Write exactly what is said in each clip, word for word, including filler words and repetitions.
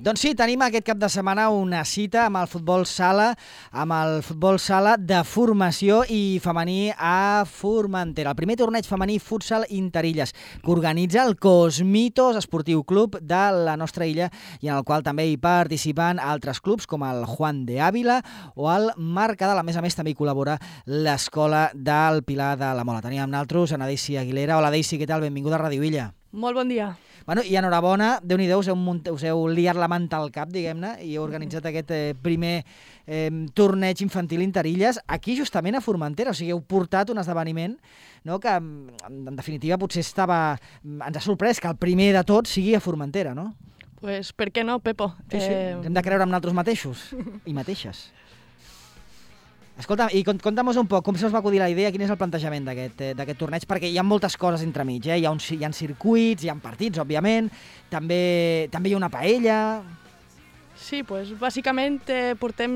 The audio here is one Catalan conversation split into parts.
Doncs sí, tenim aquest cap de setmana una cita amb el futbol sala, amb el futbol sala de formació i femení a Formentera. El primer torneig femení futsal Interilles, que organitza el Cosmitos Esportiu Club de la nostra illa i en el qual també hi participen altres clubs com el Juan de Ávila o el Mercadal. A més a més, també hi col·labora l'Escola del Pilar de la Mola. Tenim amb nosaltres a Daisy Aguilera. Hola, Daisy, què tal? Benvinguda a Ràdio Illa. Molt bon dia. Bueno, i enhorabona, Déu-n'hi-do, us heu, munt... us heu liat la manta al cap, diguem-ne, i heu organitzat aquest eh, primer eh, torneig infantil Interilles aquí justament a Formentera. O sigui, heu portat un esdeveniment, no?, que en definitiva potser estava... ens ha sorprès que el primer de tots sigui a Formentera, no? Pues per què no, Pepo? Sí, sí. Eh... Hem de creure en nosaltres mateixos i mateixes. Escolta, i conta'm-nos un poc, com se us va acudir la idea, quin és el plantejament d'aquest eh, d'aquest torneig, perquè hi ha moltes coses entremig, eh? Hi ha, uns, hi ha circuits, hi ha partits, òbviament, també, també hi ha una paella... Sí, pues bàsicament eh, portem...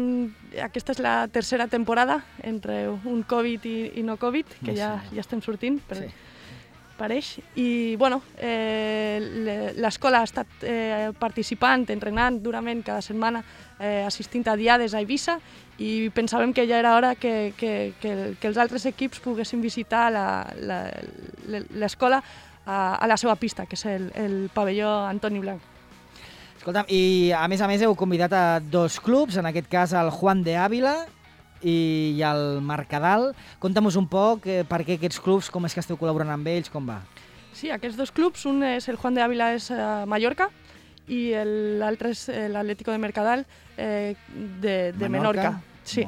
Aquesta és la tercera temporada entre un Covid i, i no Covid, que ja, ja estem sortint, per, sí. pareix. I, bueno, eh, l'escola ha estat eh, participant, entrenant durament cada setmana, eh, assistint a diades a Eivissa, i pensàvem que ja era hora que, que, que, que els altres equips poguessin visitar l'escola a, a la seva pista, que és el, el pavelló Antoni Blanc. Escolta'm, i a més a més heu convidat a dos clubs, en aquest cas el Juan de Ávila i el Mercadal. Conta'm-nos un poc eh, per què aquests clubs, com és que esteu col·laborant amb ells, com va? Sí, aquests dos clubs, un és el Juan de Ávila, és a Mallorca, i l'altre és l'Atlético de Mercadal eh, de, de Menorca. Menorca. Sí.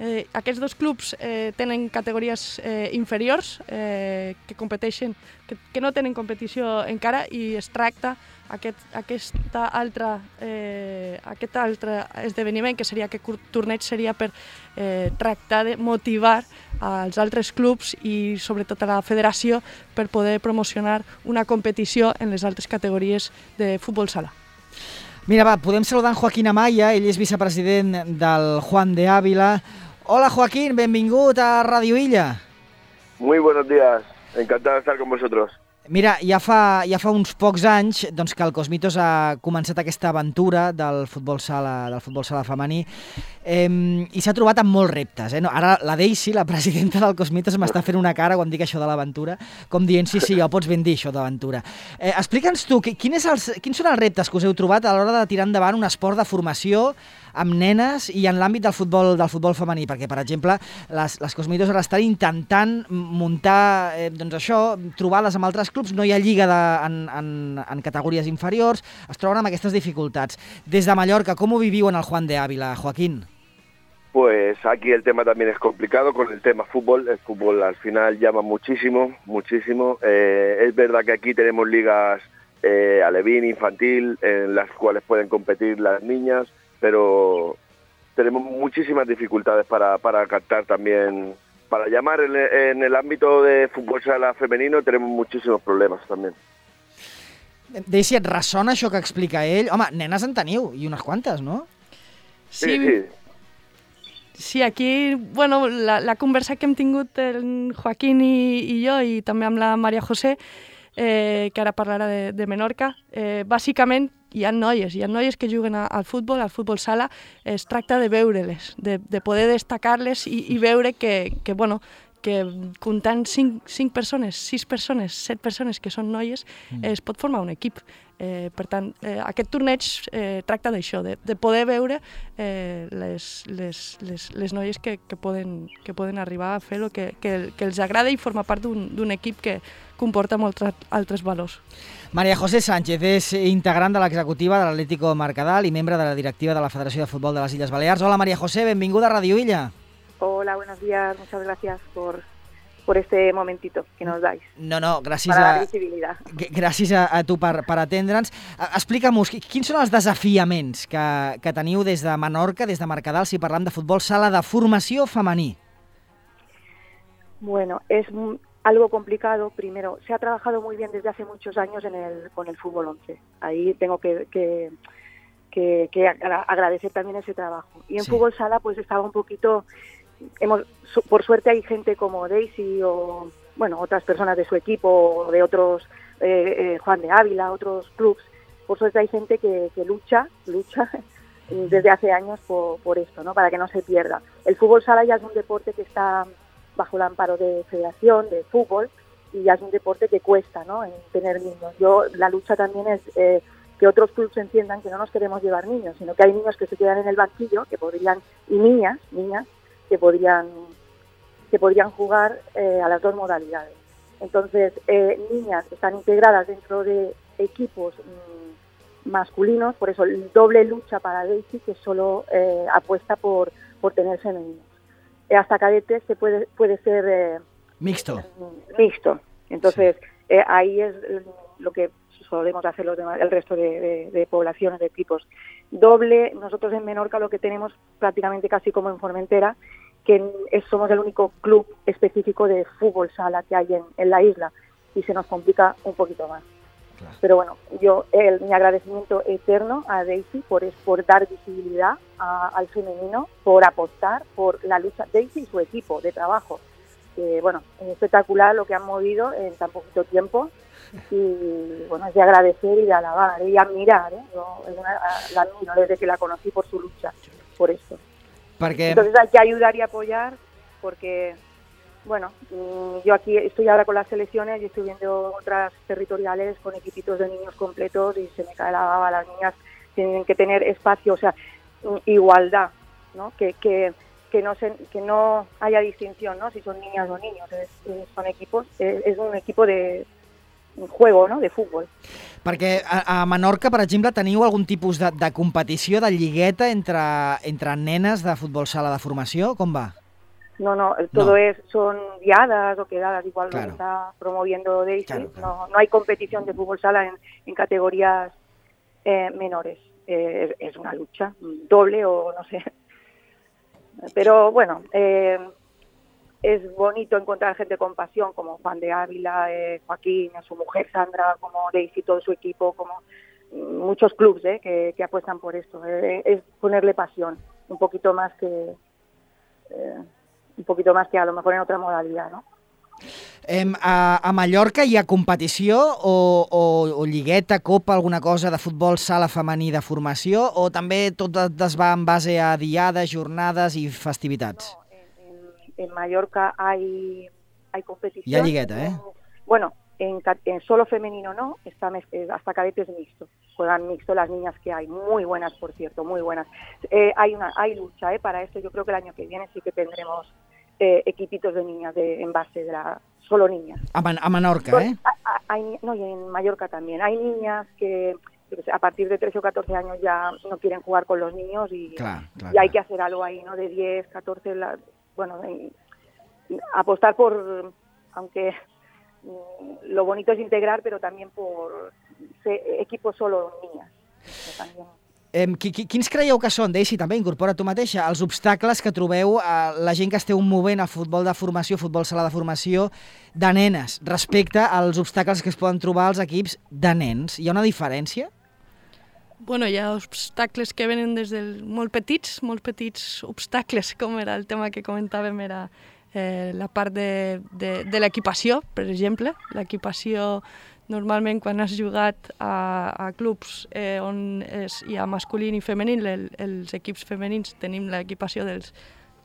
Eh, aquests dos clubs eh, tenen categories eh, inferiors eh, que competeixen, que, que no tenen competició encara, i es tracta aquest, aquesta altra, eh, aquest altre esdeveniment, que seria aquest torneig seria per eh, tractar de motivar als altres clubs i sobretot a la federació per poder promocionar una competició en les altres categories de futbol sala. Mira, va, podem saludar en Joaquín Amaya, ell és vicepresident del Juan de Ávila. Hola, Joaquín, benvingut a Radio Illa. Muy buenos días, encantado de estar con vosotros. Mira, ja fa, ja fa uns pocs anys doncs, que el Cosmitos ha començat aquesta aventura del futbol sala, del futbol sala femení eh, i s'ha trobat amb molts reptes. Eh? No, ara la Daisy, la presidenta del Cosmitos, m'està fent una cara quan dic això de l'aventura, com dient, sí, sí, ja ho pots ben dir, això d'aventura. Eh, Explica'ns tu, quin és els, quins són els reptes que us heu trobat a l'hora de tirar endavant un esport de formació amb nenes i en l'àmbit del futbol del futbol femení, perquè, per exemple, les, les Cosmitos ara estan intentant muntar, eh, doncs això, trobades amb altres clubs, no hi ha lliga de, en, en, en categories inferiors, es troben amb aquestes dificultats. Des de Mallorca, com ho viviu en el Juan de Ávila, Joaquín? Pues aquí el tema también es complicado con el tema fútbol. El fútbol al final llama muchísimo, muchísimo. Eh, es verdad que aquí tenemos ligas eh, alevín, infantil, en las cuales pueden competir las niñas, pero tenemos muchísimas dificultades para, para captar también, para llamar en, en el ámbito de fútbol sala femenino tenemos muchísimos problemas también. Daisy, et ressona això que explica ell? Home, nenes en teniu, i unes quantes, no? Sí, sí. Sí, aquí, bueno, la, la conversa que hem tingut el Joaquín i, i jo, i també amb la Maria José, eh, que ara parlarà de, de Menorca, eh, bàsicament hi ha noies, hi ha noies que juguen al futbol, al futbol sala, es tracta de veure-les, de, de poder destacar-les i, i veure que, que, bueno, que comptant cinc, cinc persones, sis persones, set persones que són noies, mm. eh, es pot formar un equip. Eh, per tant, eh, aquest torneig eh, tracta d'això, de, de poder veure eh, les, les, les, les noies que, que, poden, que poden arribar a fer el que, que, que els agrada i formar part d'un equip que comporta molts altres valors. Maria José Sánchez és integrant de l'executiva de l'Atlético Mercadal i membre de la directiva de la Federació de Futbol de les Illes Balears. Hola, Maria José, benvinguda a Radio Illa. Hola, buenos días, muchas gracias por... por este momentito que nos dais. No, no, gràcies para a... la visibilitat. Gràcies a, a tu per, per atendre'ns. Explica'm-nos, quins són els desafiaments que, que teniu des de Menorca, des de Mercadal, si parlam de futbol sala de formació femení? Bueno, es algo complicado. Primero, se ha trabajado muy bien desde hace muchos años en el, con el fútbol once. Ahí tengo que... que Que, que agradecer también ese trabajo. Y en sí. fútbol sala pues estaba un poquito, hemos, por suerte hay gente como Daisy o bueno otras personas de su equipo o de otros, eh, eh, Juan de Ávila, otros clubs, por suerte hay gente que, que lucha, lucha desde hace años por, por esto, ¿no? Para que no se pierda. El fútbol sala ya es un deporte que está bajo el amparo de Federación de Fútbol y ya es un deporte que cuesta, ¿no? En tener niños. Yo, la lucha también es eh, que otros clubes entiendan que no nos queremos llevar niños, sino que hay niños que se quedan en el banquillo, que podrían, y niñas, niñas, que podrían, que podrían jugar eh, a las dos modalidades. Entonces, eh, niñas están integradas dentro de equipos mmm, masculinos, por eso el doble lucha para Daisy, que solo eh, apuesta por, por tener femeninos. Eh, hasta cadetes se puede, puede ser eh, mixto. Mixto. Entonces, sí. eh, ahí es lo que solemos hacer los demás, el resto de, de, de poblaciones, de equipos. Doble, nosotros en Menorca lo que tenemos prácticamente casi como en Formentera, que es, somos el único club específico de fútbol sala que hay en, en la isla y se nos complica un poquito más. Claro. Pero bueno, yo el, mi agradecimiento eterno a Daisy por, es, por dar visibilidad a, al femenino, por apostar por la lucha, Daisy y su equipo de trabajo. Que, bueno, es espectacular lo que han movido en tan poquito tiempo y bueno, es de agradecer y de alabar y admirar, ¿eh? Yo una, la admiro desde que la conocí por su lucha, por esto. Porque... Entonces hay que ayudar y apoyar porque, bueno, yo aquí estoy ahora con las selecciones y estoy viendo otras territoriales con equipitos de niños completos y se me cae la baba, las niñas tienen que tener espacio, o sea, igualdad, ¿no? Que, que, que, no, se, que no haya distinción, ¿no? Si son niñas o niños, es, son equipos, es, es un equipo de un juego, no?, de futbol. Perquè a, a Menorca, per exemple, teniu algun tipus de, de competició, de lligueta entre, entre nenes de futbol sala de formació? Com va? No, no, todo no. es son guiadas o quedadas, igual claro. lo está promoviendo Daisy. Claro, claro. No, no hay competición de fútbol sala en, en categorías eh, menores. Eh, es, es una lucha doble o no sé. Pero bueno, eh, es bonito encontrar gente con pasión, como Juan de Ávila, eh, Joaquín, su mujer Sandra, como Daisy, todo su equipo, como muchos clubes eh, que, que apuestan por esto. Eh, es ponerle pasión, un poquito más que eh, un poquito más que a lo mejor en otra modalidad, ¿no? Eh, a, a Mallorca hi ha competició o, o, o lligueta, copa, alguna cosa de futbol sala femení de formació o també tot es va en base a diades, jornades i festivitats? No, en, en, en Mallorca hay, hay competición. Hi ha lligueta, ¿eh? Bueno, en, en solo femenino no, está, hasta cadetes mixto. Juegan mixto las niñas que hay, muy buenas, por cierto, muy buenas. Eh, hay una hay lucha eh, para esto, yo creo que el año que viene sí que tendremos eh, equipitos de niñas de, en base de la... Solo niñas. A, Man a Menorca, ¿eh? Hay, no, y en Mallorca también. Hay niñas que a partir de trece o catorce años ya no quieren jugar con los niños y, claro, claro, y hay claro. que hacer algo ahí, ¿no? De diez, catorce, la, bueno, en, apostar por, aunque lo bonito es integrar, pero también por ser equipos solo niñas. También. Eh, quins creieu que són, Daisy, també, incorpora tu mateixa, els obstacles que trobeu a la gent que esteu movent al futbol de formació, futbol sala de formació, de nenes, respecte als obstacles que es poden trobar als equips de nens? Hi ha una diferència? Bueno, hi ha obstacles que venen des de molt petits, molt petits obstacles, com era el tema que comentàvem, era eh, la part de, de, de l'equipació, per exemple. L'equipació, normalment, quan has jugat a, a clubs eh, on és, hi ha masculí i femení, el, els equips femenins tenim l'equipació dels,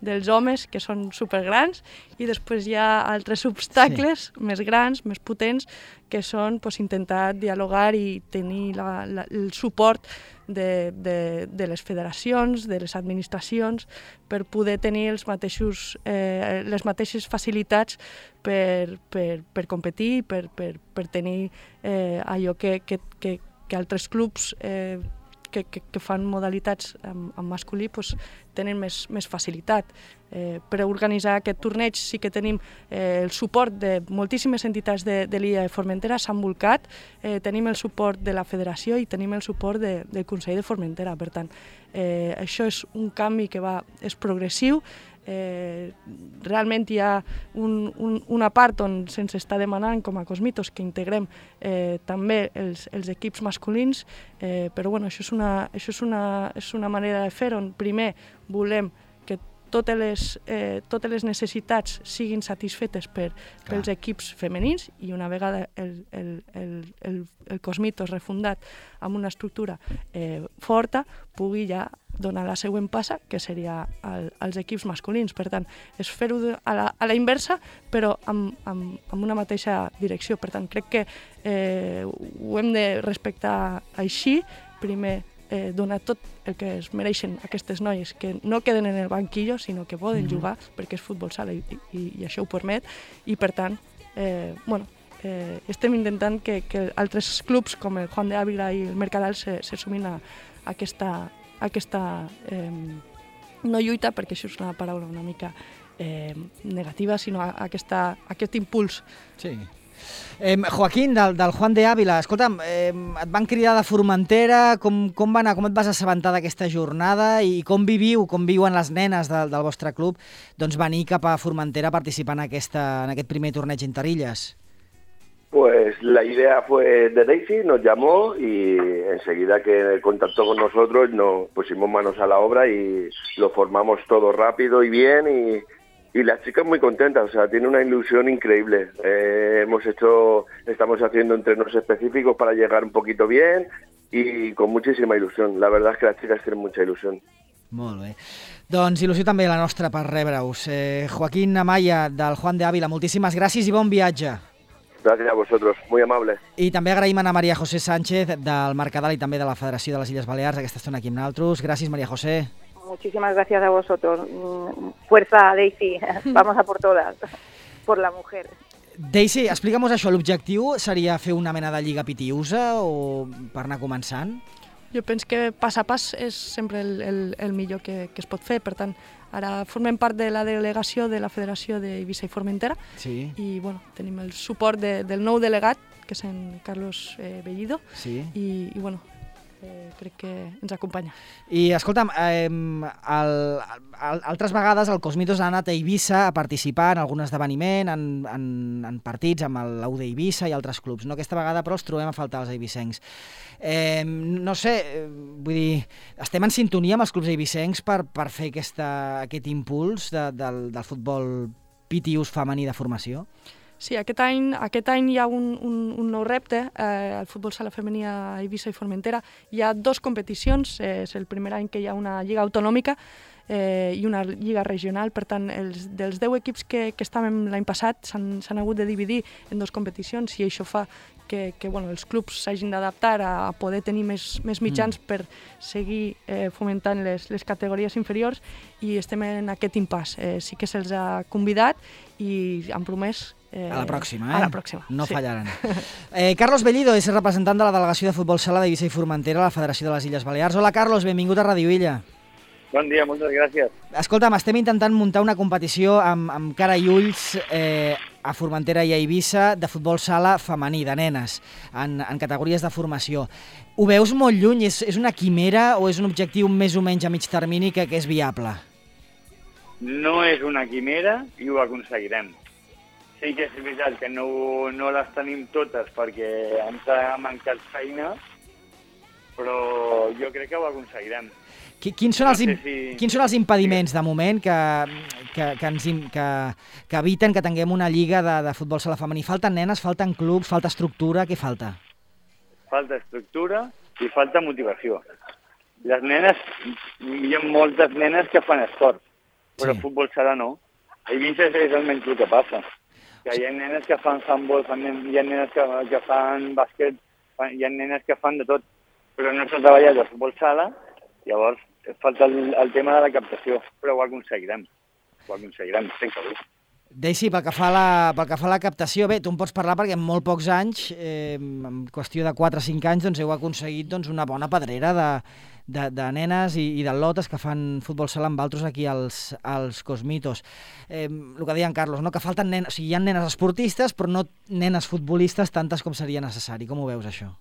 dels homes, que són supergrans, i després hi ha altres obstacles sí. més grans, més potents, que són pues, intentar dialogar i tenir la, la, el suport de, de, de les federacions, de les administracions, per poder tenir els mateixos, eh, les mateixes facilitats per, per, per competir, per, per, per tenir eh, allò que, que, que, que altres clubs eh, que, que, que fan modalitats en, en masculí pues, tenen més, més facilitat. Eh, per organitzar aquest torneig sí que tenim eh, el suport de moltíssimes entitats de, de l'illa de Formentera, s'han volcat, eh, tenim el suport de la federació i tenim el suport de, del Consell de Formentera. Per tant, eh, això és un canvi que va, és progressiu. Eh, realment hi ha un, un, una part on se'ns està demanant com a Cosmitos que integrem eh, també els, els equips masculins, eh, però bueno, això, és una, això és, una, és una manera de fer on primer volem que totes les, eh, totes les necessitats siguin satisfetes per, pels equips femenins, i una vegada el, el, el, el, el Cosmitos refundat amb una estructura eh, forta, pugui ja donar la següent passa, que seria el, els equips masculins. Per tant, és fer-ho a, la, a la inversa, però amb, amb, amb una mateixa direcció. Per tant, crec que eh, ho hem de respectar així. Primer, eh, donar tot el que es mereixen aquestes noies, que no queden en el banquillo, sinó que poden mm-hmm. jugar, perquè és futbol sala i, i, i això ho permet. I, per tant, eh, bueno, eh, estem intentant que, que altres clubs, com el Juan de Ávila i el Mercadal, se, se sumin a, a aquesta... aquesta eh, no lluita, perquè això és una paraula una mica eh, negativa, sinó a, a aquesta, a aquest impuls. Sí. Eh, Joaquín, del, del Juan de Ávila, escolta'm, eh, et van cridar de Formentera, com, com va anar, com et vas assabentar d'aquesta jornada i com viviu, com viuen les nenes del, del vostre club, doncs venir cap a Formentera a participar en, aquesta, en aquest primer torneig Interillas? Pues la idea fue de Daisy, nos llamó y enseguida que contactó con nosotros nos pusimos manos a la obra y lo formamos todo rápido y bien y, y las chicas muy contentas, o sea, tiene una ilusión increíble. Eh, hemos hecho, estamos haciendo entrenos específicos para llegar un poquito bien y con muchísima ilusión. La verdad es que las chicas tienen mucha ilusión. Molt bé. Doncs il·lusió també la nostra per rebre-us. Eh, Joaquín Amaya, del Juan de Ávila, moltíssimes gràcies i bon viatge. Gràcies a vosotros, muy amable. I també agraïm a María José Sánchez del Mercadal i també de la Federació de les Illes Balears aquesta estona aquí amb nosaltres. Gràcies, María José. Muchísimas gracias a vosotros. Fuerza, Daisy. Vamos a por todas. Por la mujer. Daisy, explica'm això. L'objectiu seria fer una mena de lliga pitiusa o per anar començant? Jo penso que pas a pas és sempre el, el, el millor que, que es pot fer. Per tant, ara formem part de la delegació de la Federació d'Eivissa i Formentera sí. i bueno, tenim el suport de, del nou delegat, que és en Carlos eh, Bellido, sí. i, i bueno, eh, crec que ens acompanya. I escolta'm, eh, el, el, altres vegades el Cosmitos ha anat a Eivissa a participar en algun esdeveniment, en, en, en partits amb l'U d'Eivissa i altres clubs. No? Aquesta vegada, però, els trobem a faltar els eivissencs. Eh, no sé, vull dir, estem en sintonia amb els clubs eivissencs per, per fer aquesta, aquest impuls de, del, del futbol pitius femení de formació? Sí, aquest any, aquest any hi ha un, un, un nou repte, eh, el futbol sala femení a Eivissa i Formentera. Hi ha dos competicions, eh, és el primer any que hi ha una lliga autonòmica eh, i una lliga regional, per tant, els, dels deu equips que, que estàvem l'any passat s'han hagut de dividir en dues competicions i això fa que, que bueno, els clubs s'hagin d'adaptar a, a poder tenir més, més mitjans mm. per seguir eh, fomentant les, les categories inferiors i estem en aquest impàs. Eh, sí que se'ls ha convidat i han promès Eh, a la pròxima, eh? A la pròxima, no sí. fallaran. Eh, Carlos Bellido és representant de la delegació de futbol sala d'Eivissa i Formentera a la Federació de les Illes Balears. Hola, Carlos, benvingut a Ràdio Illa. Bon dia, moltes gràcies. Escolta'm, estem intentant muntar una competició amb, amb cara i ulls eh, a Formentera i a Eivissa de futbol sala femení, de nenes, en, en categories de formació. Ho veus molt lluny? És, és una quimera o és un objectiu més o menys a mig termini que, que és viable? No és una quimera i ho aconseguirem. Sí que és veritat que no, no les tenim totes perquè ens ha mancat feina, però jo crec que ho aconseguirem. Quins són els, no sé si... quins són els impediments de moment que, que, que, ens, que, que eviten que tinguem una lliga de, de futbol sala femení? Falten nenes, falten clubs, falta estructura, què falta? Falta estructura i falta motivació. Les nenes, hi ha moltes nenes que fan esport, però sí. Futbol sala no. A Eivissa és almenys el que passa. Que hi ha nenes que fan handball, hi ha nenes que, que fan bàsquet, hi ha nenes que fan de tot, però no s'ha treballat el futbol sala, llavors falta el, el tema de la captació, però ho aconseguirem, ho aconseguirem, estic segur. Daisy, pel que fa a la, pel que fa a la captació, bé, tu em pots parlar perquè en molt pocs anys, eh, en qüestió de quatre o cinc anys, doncs heu aconseguit doncs, una bona pedrera de, de, de nenes i, i d'al·lotes que fan futbol sala amb altres aquí als, als Cosmitos. Eh, el que deia en Carlos, no? Que falten nenes, o sigui, hi ha nenes esportistes, però no nenes futbolistes tantes com seria necessari. Com ho veus, això?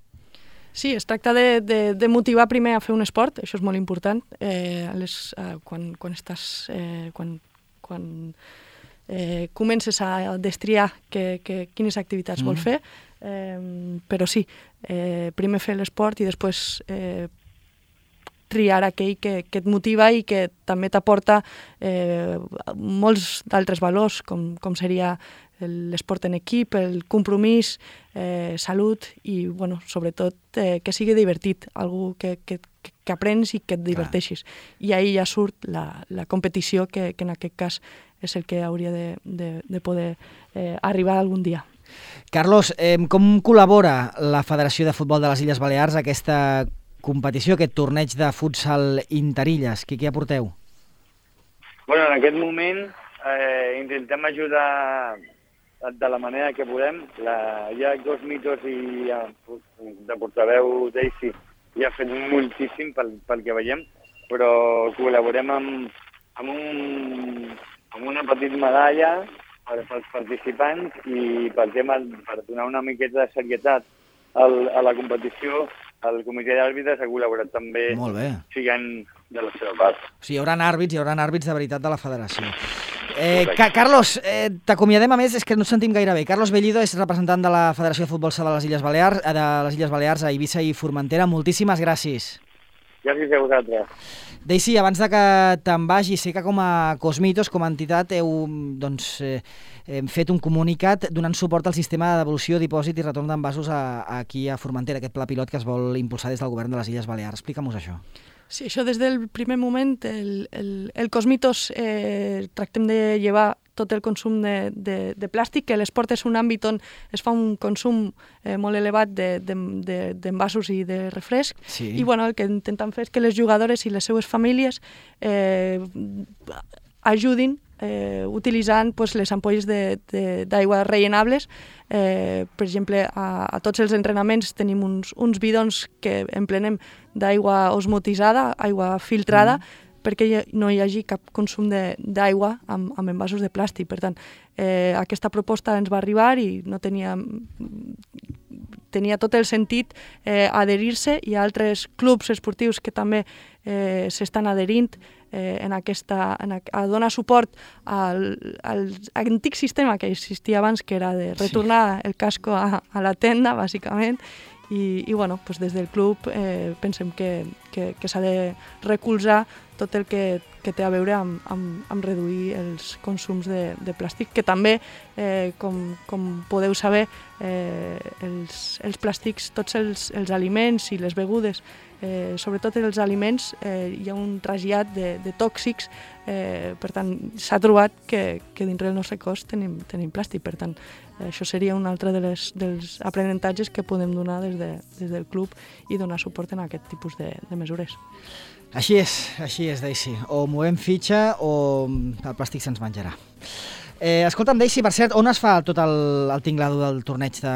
Sí, es tracta de, de, de motivar primer a fer un esport, això és molt important. Eh, les, eh, quan, quan estàs... Eh, quan, quan eh, comences a destriar que, que, quines activitats mm. vol fer, eh, però sí, eh, primer fer l'esport i després eh, triar aquell que, que et motiva i que també t'aporta eh, molts d'altres valors, com, com seria l'esport en equip, el compromís, eh, salut i, bueno, sobretot, eh, que sigui divertit, algú que, que, que aprens i que et diverteixis. Clar. I ahir ja surt la, la competició, que, que en aquest cas és el que hauria de, de, de poder eh, arribar algun dia. Carlos, eh, com col·labora la Federació de Futbol de les Illes Balears a aquesta competició, aquest torneig de futsal interilles? Què, què aporteu? Bueno, en aquest moment eh, intentem ajudar de la manera que podem. La, hi ha dos mitos i ja, de portaveu Daisy ja ha fet moltíssim pel, pel que veiem, però col·laborem amb, amb, un, amb una petita medalla per, pels participants i pel tema, per donar una miqueta de serietat al, a la competició. El comitè d'àrbitres ha col·laborat també, siguent de la seva part. O sigui, hi haurà àrbits, hi haurà àrbits de veritat de la federació. Eh, Ca Carlos, eh, t'acomiadem, a més, és que no ens sentim gaire bé. Carlos Bellido és representant de la Federació de Futbol Sala de les Illes Balears, de les Illes Balears a Eivissa i Formentera. Moltíssimes gràcies. Gràcies a vosaltres. Daisy, abans de que te'n vagi, sé que com a Cosmitos, com a entitat, heu doncs, eh, hem fet un comunicat donant suport al sistema de devolució, dipòsit i retorn d'envasos a, a aquí a Formentera, aquest pla pilot que es vol impulsar des del govern de les Illes Balears. Explica'm-nos això. Sí, això des del primer moment, el, el, el Cosmitos eh, tractem de llevar tot el consum de, de, de plàstic, que l'esport és un àmbit on es fa un consum eh, molt elevat d'envasos de, de, de, i de refresc, sí. I bueno, el que intentem fer és que les jugadores i les seues famílies eh, ajudin eh, utilitzant pues, les ampolles d'aigua rellenables. Eh, per exemple, a, a tots els entrenaments tenim uns, uns bidons que emplenem d'aigua osmotitzada, aigua filtrada, mm. perquè no hi hagi cap consum d'aigua amb, amb envasos de plàstic. Per tant, eh, aquesta proposta ens va arribar i no tenia, tenia tot el sentit eh, adherir-se. Hi ha altres clubs esportius que també eh, s'estan adherint eh, en aquesta, en a, a donar suport al, al antic sistema que existia abans, que era de retornar sí. el casco a, a la tenda, bàsicament. I, i bueno, pues des del club eh, pensem que, que, que s'ha de recolzar tot el que, que té a veure amb, amb, amb reduir els consums de, de plàstic, que també, eh, com, com podeu saber, eh, els, els plàstics, tots els, els aliments i les begudes, eh, sobretot els aliments, eh, hi ha un trasllat de, de tòxics, eh, per tant, s'ha trobat que, que dintre del nostre cos tenim, tenim plàstic, per tant, això seria un altre de les, dels aprenentatges que podem donar des, de, des del club i donar suport en aquest tipus de, de mesures. Així és, així és, Daisy. O movem fitxa o el plàstic se'ns menjarà. Eh, escolta'm, Daisy, per cert, on es fa tot el, el tinglado del torneig, de,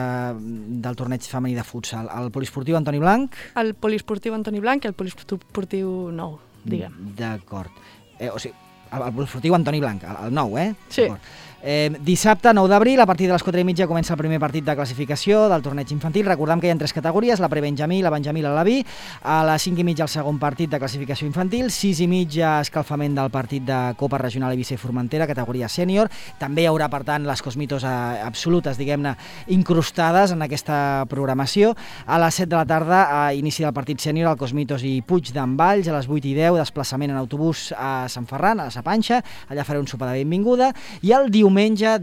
del torneig femení de futsal? Al Poliesportiu Antoni Blanc? Al Poliesportiu Antoni Blanc i al Poliesportiu nou, diguem. D'acord. Eh, o sigui, al Poliesportiu Antoni Blanc, el nou, eh? Sí. Eh, dissabte, nou d'abril, a partir de les quatre i mitja comença el primer partit de classificació del torneig infantil. Recordem que hi ha tres categories, la prebenjamí, la benjamí i la l'A-B. A les cinc i mitja el segon partit de classificació infantil, sis i mitja escalfament del partit de Copa Regional Eivissa i Formentera, categoria sènior. També hi haurà, per tant, les Cosmitos absolutes, diguem-ne, incrustades en aquesta programació. A les set de la tarda, a inici del partit sènior, el Cosmitos i Puig d'en Valls. A les vuit i deu, desplaçament en autobús a Sant Ferran, a la Sapanxa. Allà faré un sopar de benvinguda. I el diumenge,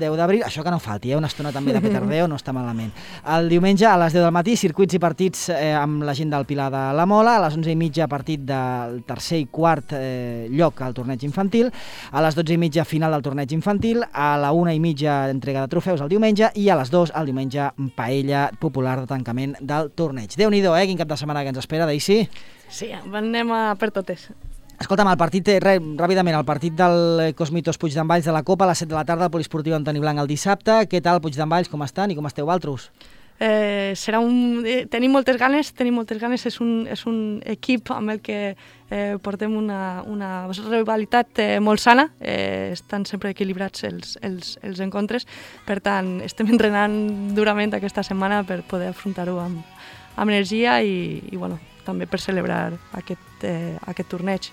deu d'abril, això que no falti, eh? Una estona també de petardeo, no està malament. El diumenge a les deu del matí, circuits i partits eh, amb la gent del Pilar de la Mola. A les onze i mitja, partit del tercer i quart eh, lloc al torneig infantil. A les dotze i mitja, final del torneig infantil. A la una i mitja, entrega de trofeus el diumenge. I a les dues, el diumenge, paella popular de tancament del torneig. Déu-n'hi-do, eh? Quin cap de setmana que ens espera, Daisy? Sí, anem a per totes. Escolta'm, el partit, re, ràpidament, el partit del Cosmitos Puig d'en Valls de la Copa a les set de la tarda, al Poliesportiu Antoni Blanc el dissabte. Què tal, Puig d'en Valls, com estan i com esteu altres? Eh, serà un... Eh, tenim moltes ganes, tenim moltes ganes, és un, és un equip amb el que eh, portem una, una rivalitat eh, molt sana, eh, estan sempre equilibrats els, els, els encontres, per tant, estem entrenant durament aquesta setmana per poder afrontar-ho amb, amb energia i, i bueno, també per celebrar aquest, eh, aquest torneig.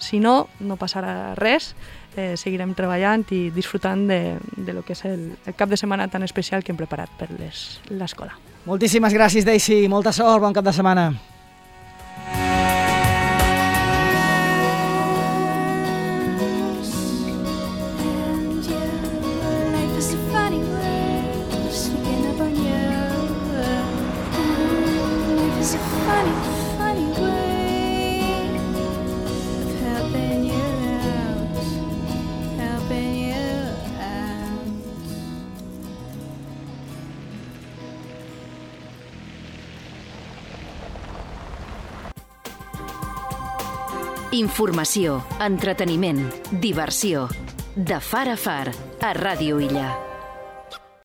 Si no, no passarà res, eh, seguirem treballant i disfrutant de, de lo que és el, el cap de setmana tan especial que hem preparat per l'escola. Moltíssimes gràcies, Daisy, molta sort, bon cap de setmana. Informació, entreteniment, diversió. De far a far, a Ràdio Illa.